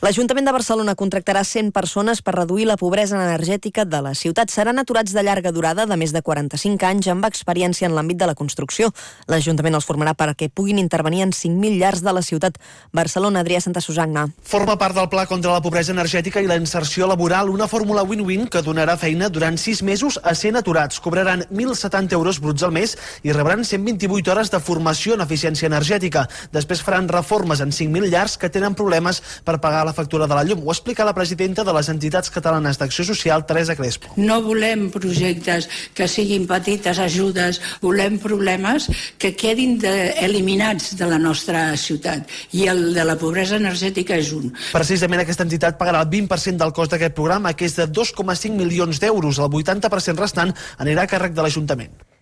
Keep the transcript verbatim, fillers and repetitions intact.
L'Ajuntament de Barcelona contractarà cent persones per reduir la pobresa energètica de la ciutat. Seran aturats de llarga durada de més de quaranta-cinc anys amb experiència en l'àmbit de la construcció. L'Ajuntament els formarà perquè puguin intervenir en cinc mil llars de la ciutat. Barcelona, Adrià Santa Susanna. Forma part del Pla contra la pobresa energètica i la inserció laboral, una fórmula win-win que donarà feina durant sis mesos a cent aturats. Cobraran mil setanta euros bruts al mes i rebran cent vint-i-vuit hores de formació en eficiència energètica. Després faran reformes en cinc mil llars que tenen problemes per pagar la factura de la llum. Ho explica la presidenta de les entitats catalanes d'Acció Social, Teresa Crespo. No volem projectes que siguin petites ajudes, volem problemes que quedin de, eliminats de la nostra ciutat, i el de la pobresa energètica és un. Precisament aquesta entitat pagarà el vint per cent del cost d'aquest programa, que és de dos coma cinc milions d'euros. El vuitanta per cent restant anirà a càrrec de l'Ajuntament.